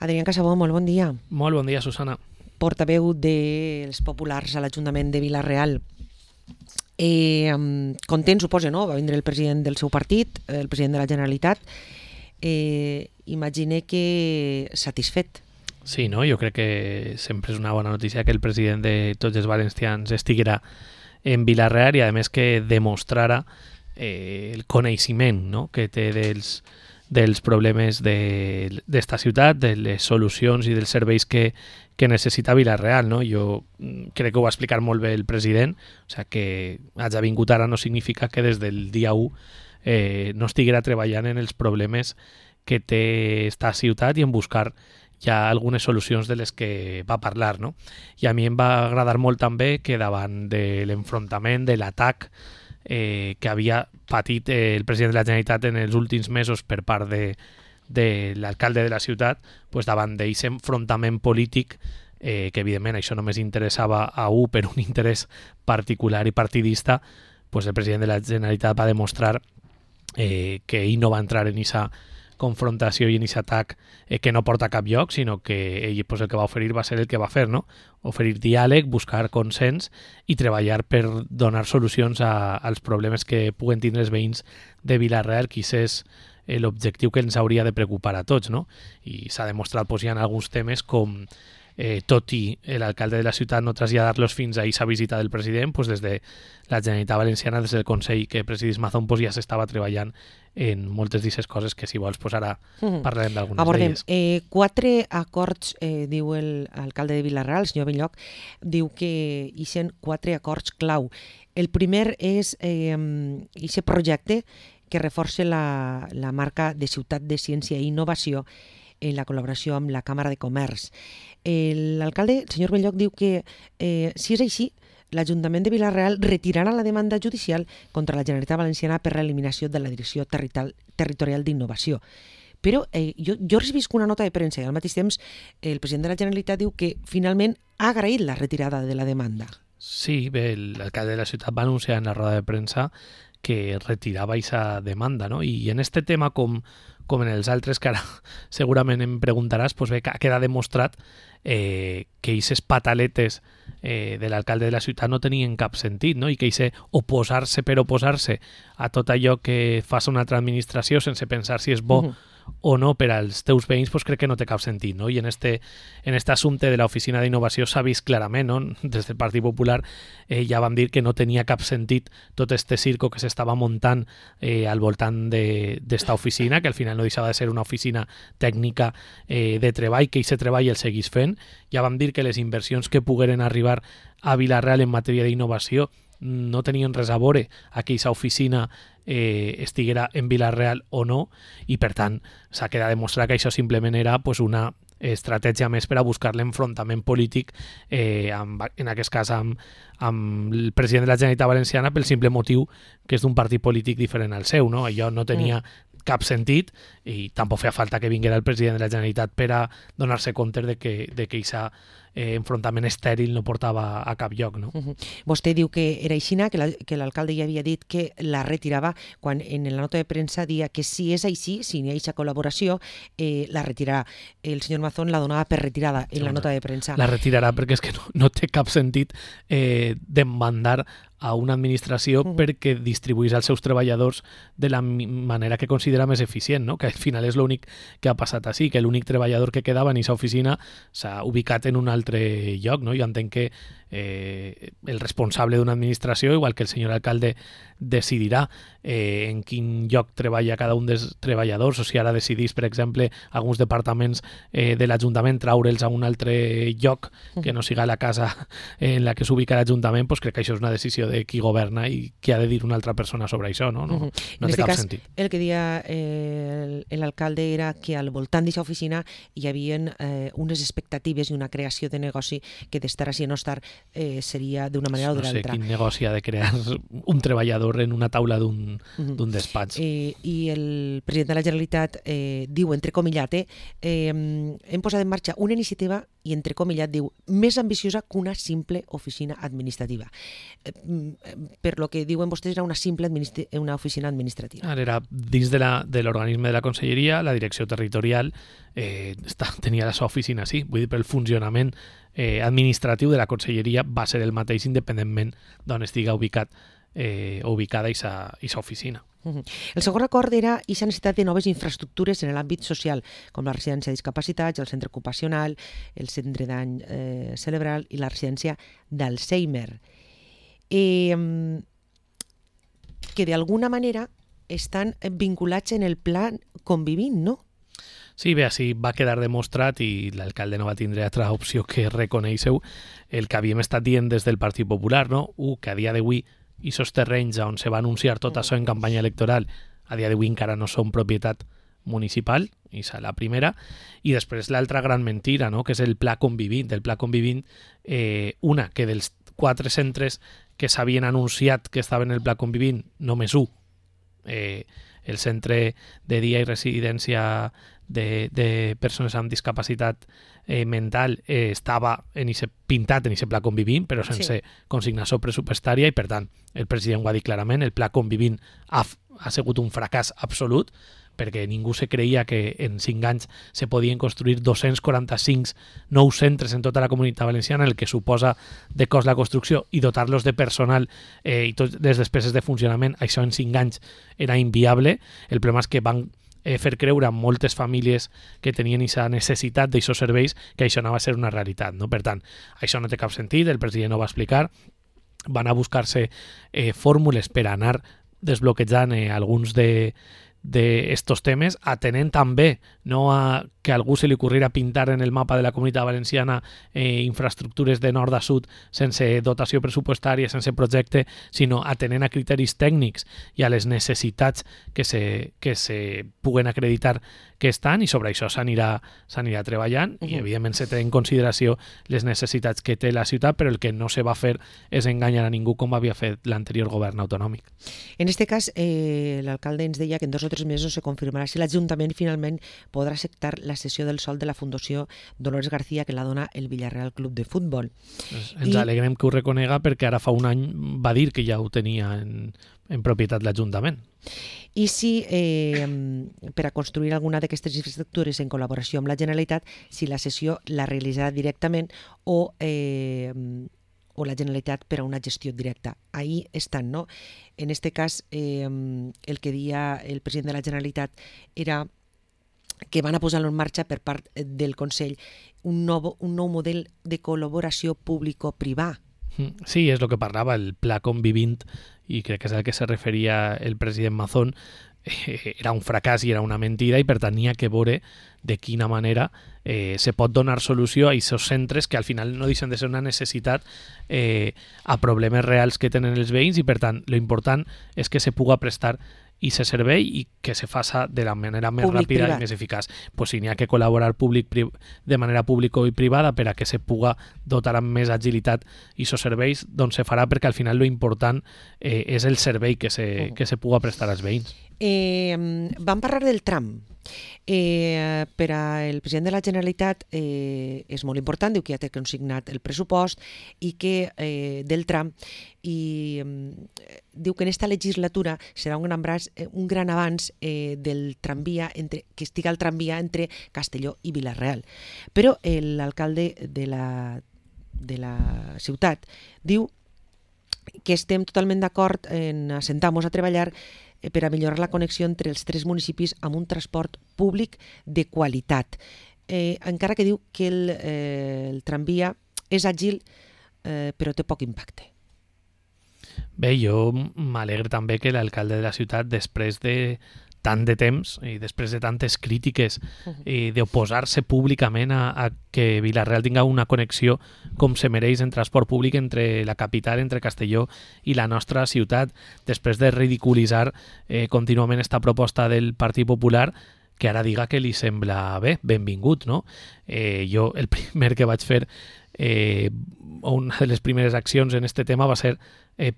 Adrián Casabó, molt bon dia. Molt bon dia, Susana. Portaveu dels populars a l'Ajuntament de Vila-real. Content, suposa, no? Va vindre el president del seu partit, el president de la Generalitat. Imagine que satisfet. Sí, no? Jo crec que sempre és una bona notícia que el president de tots els valencians estiguera en Vila-real i a més que demostrara el coneixement, no?, que té dels problemes d'esta ciutat, de les solucions i dels serveis que necessita Vila-real, no? Jo crec que ho va explicar molt bé el president, o sigui que hagi vingut ara no significa que des del dia 1 no estiguera treballant en els problemes que té esta ciutat i en buscar ja algunes solucions de les que va parlar, no? I a mi em va agradar molt també que davant de l'enfrontament, de l'atac que havia patit el president de la Generalitat en els últims mesos per part de l'alcalde de la ciutat, pues davant d'aquest enfrontament polític, que evidentment això només interessava a per un interès particular i partidista, pues el president de la Generalitat va demostrar que ell no va entrar en aquesta confrontació i en aquest atac que no porta a cap lloc, sinó que ell pues, el que va oferir va ser el que va fer, no? Oferir diàleg, buscar consens i treballar per donar solucions als problemes que puguen tindre els veïns de Vila-real, que és l'objectiu que ens hauria de preocupar a tots, no? I s'ha demostrat pues, ja en alguns temes com tot i l'alcalde de la ciutat no traslladar-los fins a aquesta visita del president, pues des de la Generalitat Valenciana, des del Consell que presidís Mazón, pues ja s'estava treballant en moltes d'aquestes coses que si vols pues ara parlarem d'algunes d'elles. 4 acords, diu l'alcalde de Vila-real, el senyor Belloc, diu que hi ha 4 acords clau. El primer és aquest projecte que reforça la marca de Ciutat de Ciència i Innovació en la col·laboració amb la Càmera de Comerç. L'alcalde, el senyor Belloc, diu que si és així, l'Ajuntament de Vila-real retirarà la demanda judicial contra la Generalitat Valenciana per l'eliminació de la Direcció Territorial d'Innovació. Però jo he recibit una nota de premsa i al mateix temps el president de la Generalitat diu que finalment ha agraït la retirada de la demanda. Sí, bé, l'alcalde de la ciutat va anunciar en la roda de premsa que retirava aquesta demanda, no? I en este tema, com en els altres que ara segurament em preguntaràs, pues bé, queda demostrat que aquestes pataletes de l'alcalde de la ciutat no tenien cap sentit, no? I que aquest oposar-se per oposar-se a tot allò que fa una altra administració sense pensar si és bo o no per als teus veïns, pues crec que no té cap sentit, no? I en este assumpte de l'Oficina d'Innovació s'ha vist clarament, no? Des del Partit Popular ja vam dir que no tenia cap sentit tot este circo que s'estava muntant al voltant d'esta oficina, que al final no deixava de ser una oficina tècnica de treball, que aquest treball el seguís fent. Ja vam dir que les inversions que pogueren arribar a Vila-real en matèria d'innovació no tenien res a veure a que aquesta oficina estiguera en Vila-real o no, i per tant s'ha quedat demostrat que això simplement era pues, una estratègia més per a buscar l'enfrontament polític en aquest cas amb el president de la Generalitat Valenciana pel simple motiu que és d'un partit polític diferent al seu, no? Allò no tenia cap sentit i tampoc feia falta que vinguera el president de la Generalitat per a donar-se compte de que aquest enfrontament estèril no portava a cap lloc, no? Vostè diu que era així, que l'alcalde ja havia dit que la retirava, quan en la nota de premsa dia que si és així, si n'hi ha aquesta col·laboració, la retirarà. El senyor Mazón la donava per retirada en la nota de premsa. La retirarà perquè és que no té cap sentit demandar a una administració perquè distribuís als seus treballadors de la manera que considera més eficient, no? Que al final és l'únic que ha passat així, que l'únic treballador que quedava en aquesta oficina s'ha ubicat en un altre lloc, no? Jo entenc que el responsable d'una administració, igual que el senyor alcalde, decidirà en quin lloc treballa cada un dels treballadors, o si ara decidís, per exemple, alguns departaments de l'Ajuntament traure'ls a un altre lloc que no siga la casa en la que s'ubica l'Ajuntament, doncs crec que això és una decisió de qui governa i qui ha de dir una altra persona sobre això, no? No té cap sentit. El que deia l'alcalde era que al voltant d'aquesta oficina hi havia unes expectatives i una creació de negoci que d'estar així o no estar seria d'una manera o de l'altra. No sé quin negoci ha de crear un treballador en una taula d'un despatx. I el president de la Generalitat diu, entrecomillat, hem posat en marxa una iniciativa i entrecomillat diu, més ambiciosa que una simple oficina administrativa. Per lo que diuen vostès, era una oficina administrativa. Ara era dins de l'organisme de la Conselleria, la direcció territorial tenia la seva oficina, sí. Vull dir, però el funcionament administratiu de la Conselleria va ser el mateix independentment d'on estiga ubicada aquesta oficina. El segon acord era aquesta necessitat de noves infraestructures en l'àmbit social, com la residència de discapacitats, el centre ocupacional, el centre d'any cerebral i la residència d'Alzheimer. Que d'alguna manera estan vinculats en el pla Convivint, no? Sí, bé, així va quedar demostrat i l'alcalde no va tindre altra opció que reconèixer el que havíem estat dient des del Partit Popular, no? Que a dia d'avui i aquests terrenys on se va anunciar tot això en campanya electoral, a dia d'avui encara no són propietat municipal, i és la primera, i després l'altra gran mentira, no? Que és el Pla Convivint. El Pla Convivint, una, que dels 4 centres que s'havien anunciat que estaven en el Pla Convivint, només un, el centre de dia i residència de persones amb discapacitat mental estava pintat en aquest pla Convivint, però sense consignació pressupostària, i per tant el president ho ha dit clarament, el pla Convivint ha sigut un fracàs absolut, perquè ningú se creia que en 5 anys se podien construir 245 nous centres en tota la Comunitat Valenciana, el que suposa de cost la construcció, i dotar-los de personal i totes les despeses de funcionament. Això en 5 anys era inviable. El problema és que van fer creure a moltes famílies que tenien aquesta necessitat d'aquests serveis que això no va ser una realitat, no? Per tant, això no té cap sentit, el president ho va explicar, van a buscar-se fórmules per anar desbloquejant alguns d'estos temes, atenent també no a que a algú se li ocorriera pintar en el mapa de la Comunitat Valenciana infraestructures de nord a sud sense dotació pressupostària, sense projecte, sinó atenent a criteris tècnics i a les necessitats que se puguen acreditar que estan, i sobre això s'anirà treballant i evidentment se té en consideració les necessitats que té la ciutat, però el que no se va fer és enganyar a ningú com havia fet l'anterior govern autonòmic. En este cas, l'alcalde ens deia que en 2 o 3 mesos se confirmarà si l'Ajuntament finalment podrà acceptar la cessió del sòl de la Fundació Dolores García que la dona el Villarreal Club de Futbol. Ens alegrem que ho reconega, perquè ara fa un any va dir que ja ho tenia en propietat l'Ajuntament. I si per a construir alguna d'aquestes infraestructures en col·laboració amb la Generalitat, si la cessió la realitzarà directament o la Generalitat per a una gestió directa. Ahí estan, no? En este cas, el que deia el president de la Generalitat era que van a posar-lo en marxa per part del Consell un nou model de col·laboració público-privà. Sí, és el que parlava, el Pla Convivint, i crec que és al que se referia el president Mazón, era un fracàs i era una mentida, i per tant n'hi ha que veure de quina manera se pot donar solució a aquests centres que al final no deixen de ser una necessitat a problemes reals que tenen els veïns, i per tant l'important és que se puga prestar i se servei i que se faça de la manera més ràpida i més eficaç. Pues si n'hi ha que col·laborar de manera pública i privada per a que se puga dotar amb més agilitat aquests serveis, doncs se farà, perquè al final lo important és el servei que se puga prestar als veïns. Vam parlar del tram. Per al president de la Generalitat és molt important, diu que ja té consignat el pressupost i que del tram, i diu que en esta legislatura serà un gran avanç del tramvia, que estiga el tramvia entre Castelló i Vila-real. Però l'alcalde de la ciutat diu que estem totalment d'acord en assentar-nos a treballar per a millorar la connexió entre els 3 municipis amb un transport públic de qualitat. Encara que diu que el tramvia és àgil, però té poc impacte. Bé, jo m'alegro també que l'alcalde de la ciutat, després de tant de temps i després de tantes crítiques d'oposar-se públicament a que Vila-real tinga una connexió com se mereix en transport públic entre la capital, entre Castelló i la nostra ciutat, després de ridiculitzar contínuament esta proposta del Partit Popular, que ara diga que li sembla bé, benvingut, no? Jo el primer que vaig fer, una de les primeres accions en este tema va ser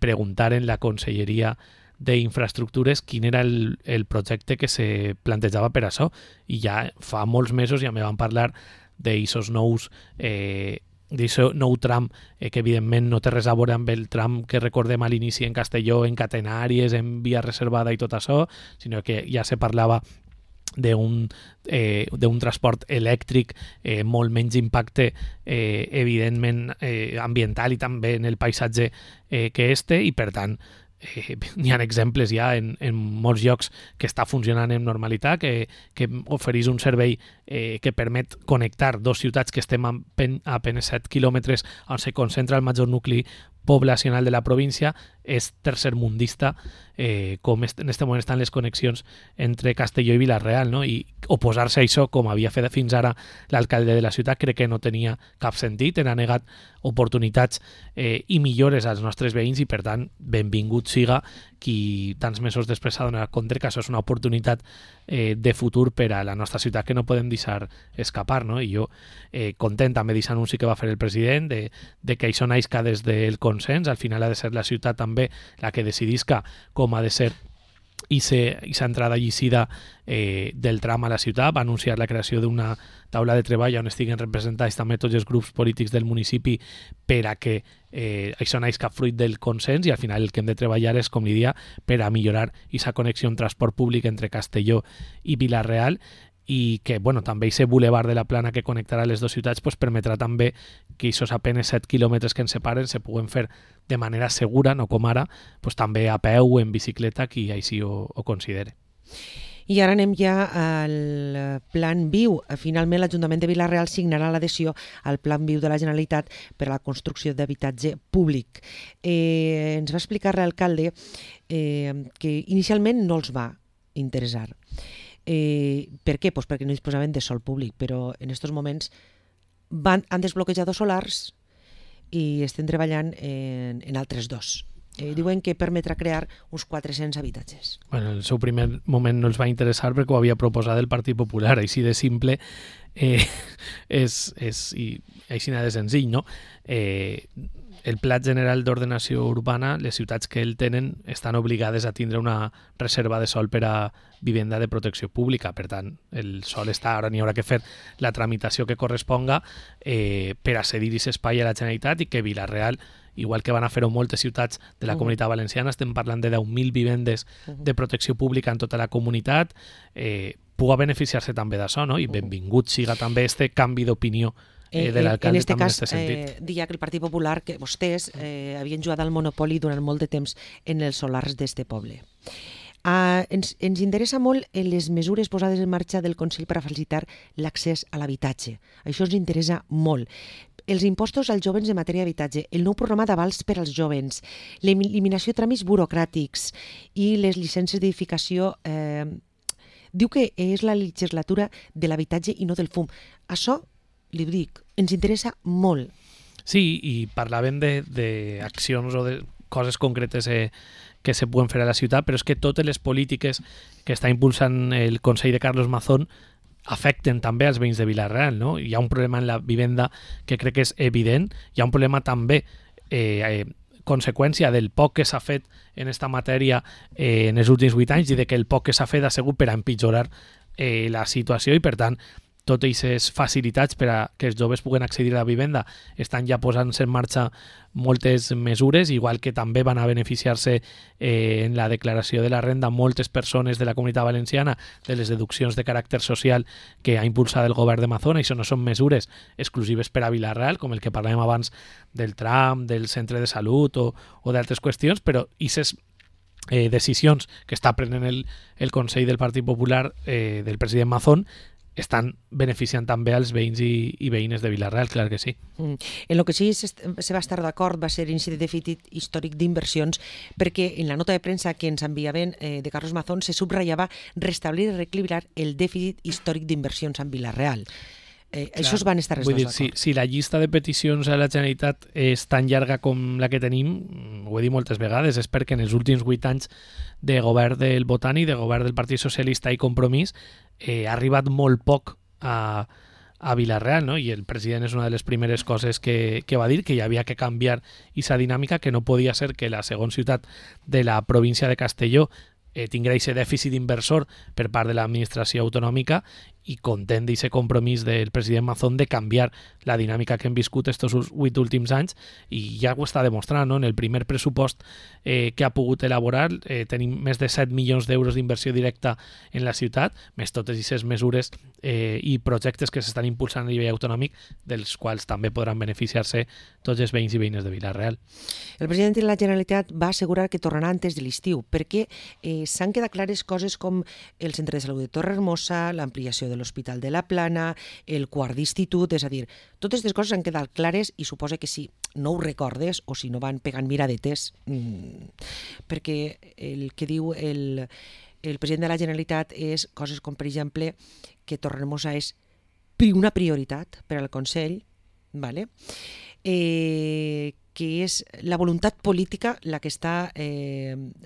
preguntar en la Conselleria d'Infraestructures quin era el projecte que se plantejava per això, i ja fa molts mesos ja me van parlar d'eixos nous d'aquest nou tram, que evidentment no té res a veure amb el tram que recordem a l'inici en Castelló, en catenàries, en via reservada i tot això, sinó que ja se parlava d'un transport elèctric, molt menys impacte evidentment ambiental i també en el paisatge que i per tant n'hi ha exemples ja en molts llocs que està funcionant en normalitat, que ofereix un servei que permet connectar dos ciutats que estem a penes 7 quilòmetres on se concentra el major nucli poblacional de la província, és tercermundista, com en aquest moment estan les connexions entre Castelló i Vila-real, no? I oposar-se a això, com havia fet fins ara l'alcalde de la ciutat, crec que no tenia cap sentit, ha negat oportunitats i millores als nostres veïns i, per tant, benvingut siga qui tants mesos després s'ha donat compte que això és una oportunitat de futur per a la nostra ciutat que no podem deixar escapar, no? I jo content amb aquest anunci que va fer el president de que això naixca des del consens, al final ha de ser la ciutat també la que decidisca com ha de ser i aquesta entrada llicida del tram a la ciutat. Va anunciar la creació d'una taula de treball on estiguen representats també tots els grups polítics del municipi per a que això naixca fruit del consens, i al final el que hem de treballar és, com li dia, per a millorar aquesta connexió en transport públic entre Castelló i Vila-real, i que també aquest bulevard de la Plana que connectarà les dues ciutats permetrà també que aquests apenes 7 quilòmetres que ens separen se puguen fer de manera segura, no com ara, també a peu o en bicicleta, qui així ho considere. I ara anem ja al Plan Viu. Finalment, l'Ajuntament de Vila-real signarà l'adhesió al Plan Viu de la Generalitat per a la construcció d'habitatge públic. Ens va explicar l'alcalde que inicialment no els va interessar. Per què? Pues perquè no disposaven de sòl públic, però en aquests moments han desbloquejat dos solars i estem treballant en altres dos. Diuen que permetrà crear uns 400 habitatges. Bueno, en el seu primer moment no els va interessar perquè ho havia proposat el Partit Popular, així de simple i així de senzill, no? El Pla General d'Ordenació Urbana, les ciutats que el tenen estan obligades a tindre una reserva de sòl per a vivenda de protecció pública. Per tant, el sòl està, ara n'hi haurà que fer la tramitació que corresponga per a cedir aquest espai a la Generalitat, i que Vila-real, igual que van a fer-ho moltes ciutats de la Comunitat Valenciana, estem parlant de 10.000 vivendes de protecció pública en tota la comunitat, puga beneficiar-se també d'això, no? I benvingut siga també este canvi d'opinió de l'alcalde. En aquest cas, deia que el Partit Popular, que vostès havien jugat al monopoli durant molt de temps en els solars d'este poble. Ens interessa molt les mesures posades en marxa del Consell per a facilitar l'accés a l'habitatge. Això ens interessa molt. Els impostos als jovens en matèria d'habitatge, el nou programa d'avals per als jovens, l'eliminació de tràmits burocràtics i les llicències d'edificació. Diu que és la legislatura de l'habitatge i no del fum. Això, li dic, ens interessa molt. Sí, i parlàvem d'accions o de coses concretes que se puguen fer a la ciutat, però és que totes les polítiques que està impulsant el Consell de Carlos Mazón afecten també als veïns de Vila-real, no? Hi ha un problema en la vivenda que crec que és evident, hi ha un problema també conseqüència del poc que s'ha fet en aquesta matèria en els últims 8 anys i de que el poc que s'ha fet ha sigut per a empitjorar la situació, i per tant totes aquestes facilitats per a que els joves puguen accedir a la vivenda estan ja posant-se en marxa moltes mesures, igual que també van a beneficiar-se en la declaració de la renda moltes persones de la Comunitat Valenciana de les deduccions de caràcter social que ha impulsat el govern de Mazón. Això no són mesures exclusives per a Vila-real, com el que parlàvem abans del tram, del centre de salut o d'altres qüestions, però aquestes decisions que està prenent el Consell del Partit Popular del president Mazón estan beneficiant també als veïns i veïnes de Vila-real, clar que sí. En el que sí se va estar d'acord va ser l'índice de dèficit històric d'inversions, perquè en la nota de premsa que ens enviaven de Carlos Mazón se subratllava restablir i reequilibrar el dèficit històric d'inversions en Vila-real. Això es van estar els dos d'acord. Si la llista de peticions a la Generalitat és tan llarga com la que tenim, ho he dit moltes vegades, és perquè en els últims 8 anys de govern del Botànic, de govern del Partit Socialista i Compromís, ha arribat molt poc a Vila-real, no? I el president és una de les primeres coses que va dir, que hi havia que canviar aquesta dinàmica, que no podia ser que la segona ciutat de la província de Castelló tingués aquest dèficit inversor per part de l'administració autonòmica i content d'aquest compromís del president Mazón de canviar la dinàmica que hem viscut estos 8 últims anys, i ja ho està demostrant, no? En el primer pressupost que ha pogut elaborar tenim més de 7 milions d'euros d'inversió directa en la ciutat, més totes aquestes mesures i projectes que s'estan impulsant a nivell autonòmic, dels quals també podran beneficiar-se tots els veïns i veïnes de Vila-real. El president de la Generalitat va assegurar que tornarà antes de l'estiu, perquè s'han quedat clares coses com el centre de salut de Torrehermosa, l'ampliació de l'Hospital de la Plana, el quart d'institut, és a dir, totes aquestes coses han quedat clares i suposa que si no ho recordes o si no van pegant miradetes, perquè el que diu el president de la Generalitat és coses com, per exemple, que Torrehermosa és una prioritat per al Consell, ¿vale? Que és la voluntat política la que està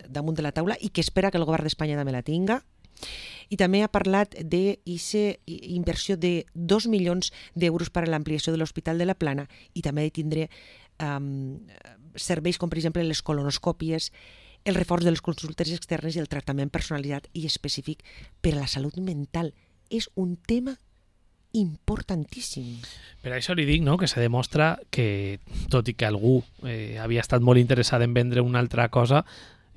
damunt de la taula i que espera que el govern d'Espanya també la tinga. I també ha parlat d'aquesta inversió de 2 milions d'euros per a l'ampliació de l'Hospital de la Plana i també de tindre serveis com, per exemple, les colonoscòpies, el reforç de les consultes externes i el tractament personalitzat i específic per a la salut mental. És un tema importantíssim. Per això li dic, no?, que se demostra que, tot i que algú havia estat molt interessat en vendre una altra cosa,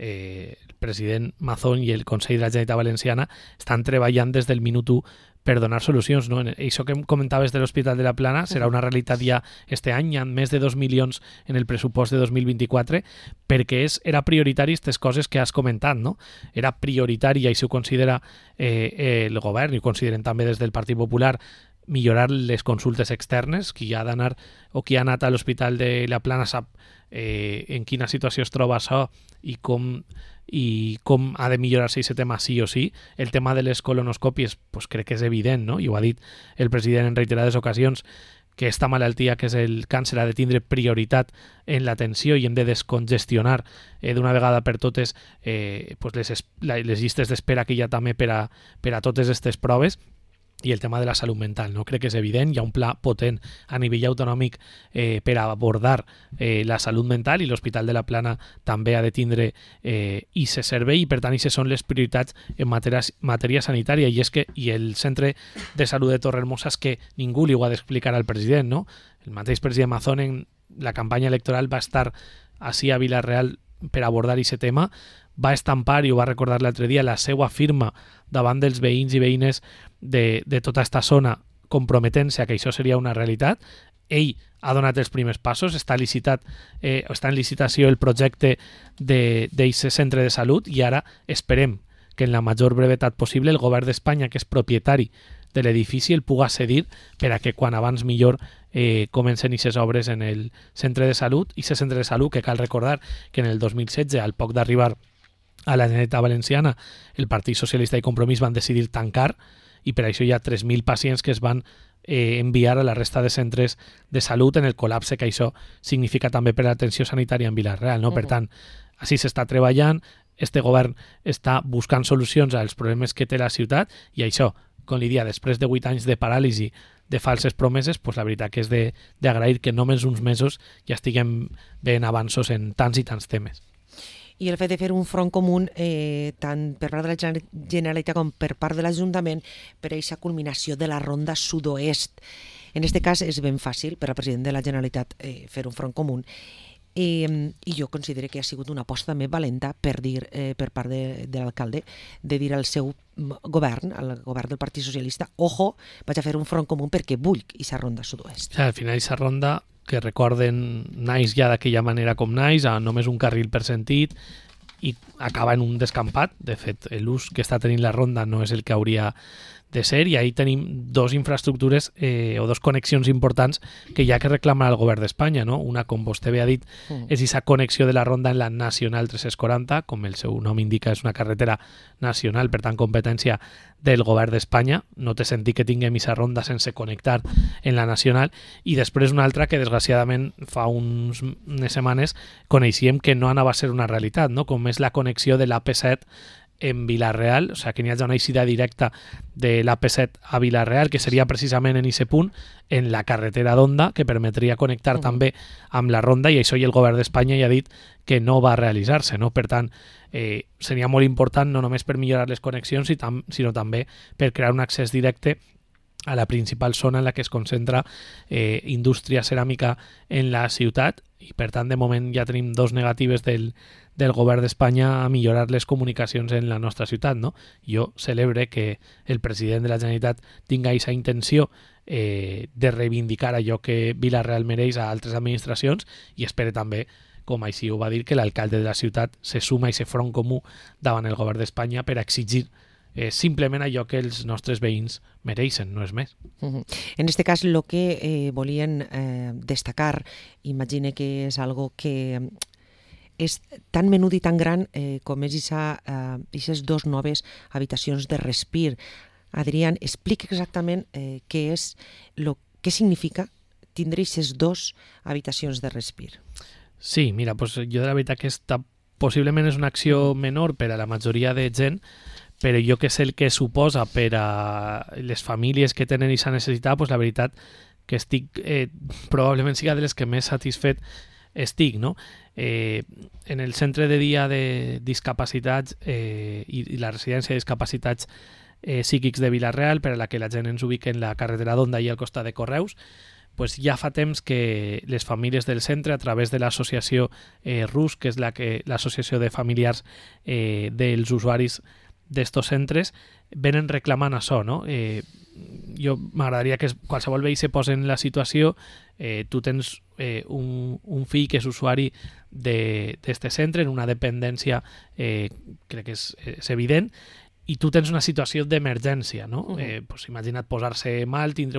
el president Mazón i el Consell de la Generalitat Valenciana estan treballant des del minut 1 per donar solucions, no? Això que comentaves de l'Hospital de la Plana serà una realitat ja este any, hi ha més de 2 milions en el pressupost de 2024, perquè era prioritari aquestes coses que has comentat, no? Era prioritari, i això ho considera el govern, i ho consideren també des del Partit Popular, millorar les consultes externes. Qui ha d'anar o qui ha anat a l'Hospital de la Plana sap en quina situació es troba això i com ha de millorar-se aquest tema sí o sí. El tema de les colonoscòpies pues crec que és evident, no? I ho ha dit el president en reiterades ocasions, que esta malaltia que és el càncer ha de tindre prioritat en l'atenció i hem de descongestionar d'una vegada per totes pues les llistes d'espera que hi ha també per a totes aquestes proves. I el tema de la salut mental, no? Crec que és evident, hi ha un pla potent a nivell autonòmic per abordar la salut mental, i l'Hospital de la Plana també ha de tindre aquest servei, i per tant aquestes són les prioritats en matèria sanitària. I el centre de salut de Torrehermosa és que ningú li ho ha d'explicar al president, no? El mateix president Mazón en la campanya electoral va estar ací a Vila-real per abordar aquest tema, va estampar, i ho va recordar l'altre dia, la seva firma davant dels veïns i veïnes de tota aquesta zona, comprometent-se a que això seria una realitat. Ell ha donat els primers passos, està en licitació el projecte d'aquest centre de salut, i ara esperem que en la major brevetat possible el govern d'Espanya, que és propietari de l'edifici, el puga cedir per a que quan abans millor comencen aquestes obres en el centre de salut. I aquest centre de salut, que cal recordar que en el 2016, al poc d'arribar a la Generalitat Valenciana, el Partit Socialista i Compromís van decidir tancar, i per això hi ha 3.000 pacients que es van enviar a la resta de centres de salut, en el col·lapse que això significa també per a l'atenció sanitària en Vila-real, no? Per tant, així s'està treballant, este govern està buscant solucions als problemes que té la ciutat, i això, com li dia, després de 8 anys de paràlisi, de falses promeses, pues la veritat que és d'agrair que només uns mesos ja estiguem veient avanços en tants i tants temes. I el fet de fer un front comú tant per part de la Generalitat com per part de l'Ajuntament per a aquesta culminació de la ronda sud-oest. En aquest cas és ben fàcil per al president de la Generalitat fer un front comú, i jo considero que ha sigut una aposta també valenta per part de l'alcalde, de dir al seu govern, al govern del Partit Socialista, ojo, vaig a fer un front comú perquè vull aquesta ronda sud-oest. Al final aquesta ronda, que recorden, naix ja d'aquella manera com naix, a només un carril per sentit, i acaba en un descampat. De fet, l'ús que està tenint la ronda no és el que hauria de ser, i ahí tenim dos infraestructures o dos connexions importants que hi ha que reclamar al govern d'Espanya, no? Una, com vostè bé ha dit, és aquesta connexió de la ronda en la Nacional 340, com el seu nom indica, és una carretera nacional, per tant, competència del govern d'Espanya. No té sentit que tinguem aquesta ronda sense connectar en la Nacional. I després una altra que, desgraciadament, fa unes setmanes coneixíem que no anava a ser una realitat, no? Com és la connexió de l'AP7 en Vila-real, o sigui, que n'hi hagi una eixida directa de l'AP7 a Vila-real, que seria precisament en aquest punt, en la carretera d'Onda, que permetria connectar també amb la ronda, i això i el govern d'Espanya ja ha dit que no va realitzar-se, no? Per tant, seria molt important no només per millorar les connexions, sinó també per crear un accés directe a la principal zona en la que es concentra indústria ceràmica en la ciutat, i per tant de moment ja tenim 2 negatives del govern d'Espanya a millorar les comunicacions en la nostra ciutat, no? Jo celebre que el president de la Generalitat tinga aquesta intenció de reivindicar allò que Vila-real mereix a altres administracions, i espere també, com així ho va dir, que l'alcalde de la ciutat se suma a aquest front comú davant el govern d'Espanya per exigir simplement allò que els nostres veïns mereixen, no és més. En este cas, el que volien destacar, imagine que és algo que és tan menut i tan gran com és aquestes 2 noves habitacions de respir. Adrián, explica exactament què significa tindre aquestes 2 habitacions de respir. Sí, mira, pues jo de la veritat que possiblement és una acció menor per a la majoria de gent, però jo que sé el que suposa per a les famílies que tenen aquesta necessitat, pues la veritat que estic, probablement siga de les que més satisfet estic, no? En el centre de dia de discapacitats i la residència de discapacitats psíquics de Vila-real, per a la que la gent ens ubica en la carretera d'Onda i al costat de Correus, pues ja fa temps que les famílies del centre, a través de l'associació RUS, que és l'associació de familiars dels usuaris d'estos centres, venen reclamant això, no? Jo m'agradaria que qualsevol veí se posi en la situació, tu tens un fill que és usuari d'este centre, en una dependència, crec que és evident, i tu tens una situació d'emergència, no? Pues imagina't posar-se mal, tindre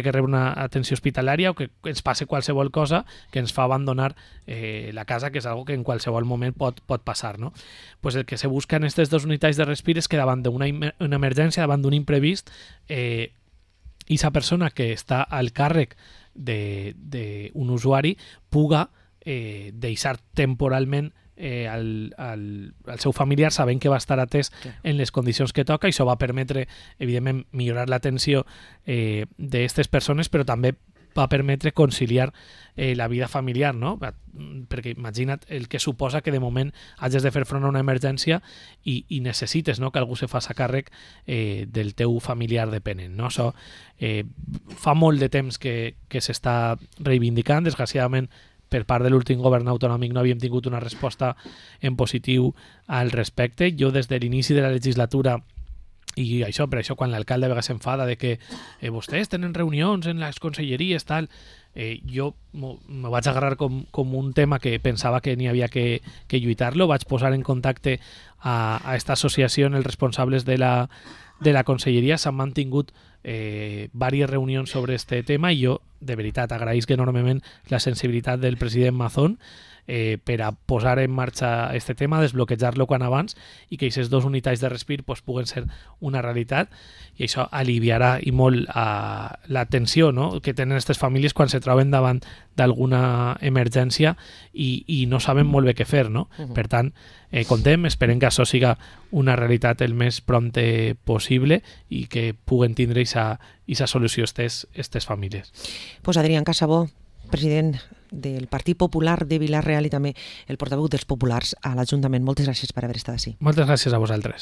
que rebre una atenció hospitalària, o que ens passe qualsevol cosa que ens fa abandonar la casa, que és algo que en qualsevol moment pot passar, no? Pues el que se busca en aquestes 2 unitats de respir és que davant d'una emergència, davant d'un imprevist, aquesta persona que està al càrrec d'un usuari puga deixar temporalment al seu familiar, sabent que va estar atès en les condicions que toca, i això va permetre, evidentment, millorar l'atenció d'aquestes persones, però també va permetre conciliar la vida familiar, no? Perquè imagina't el que suposa que de moment hagis de fer front a una emergència i necessites, no?, que algú se faci càrrec del teu familiar dependent, no? Això fa molt de temps que s'està reivindicant. Desgraciadament, per part de l'últim govern autonòmic no havíem tingut una resposta en positiu al respecte. Jo des de l'inici de la legislatura, i això, per això quan l'alcalde a vegades s'enfada de que vostès tenen reunions en les conselleries, tal, jo me vaig agarrar com un tema que pensava que n'hi havia que lluitar-lo. Vaig posar en contacte a aquesta associació els responsables de la conselleria. S'han mantingut diverses reunions sobre este tema, i jo de veritat agraïsc enormement la sensibilitat del president Mazón per a posar en marxa este tema, desbloquejar-lo quan abans, i que aquestes 2 unitats de respir pues, puguen ser una realitat, i això aliviarà i molt la tensió, no?, que tenen aquestes famílies quan se troben davant d'alguna emergència i no saben molt bé què fer, no? Per tant, contem, esperem que això siga una realitat el més prompte possible i que puguen tindre aquesta solució aquestes famílies. Pues Adrián Casabó, president del Partit Popular de Vila-real i també el portaveu dels populars a l'Ajuntament. Moltes gràcies per haver estat així. Moltes gràcies a vosaltres.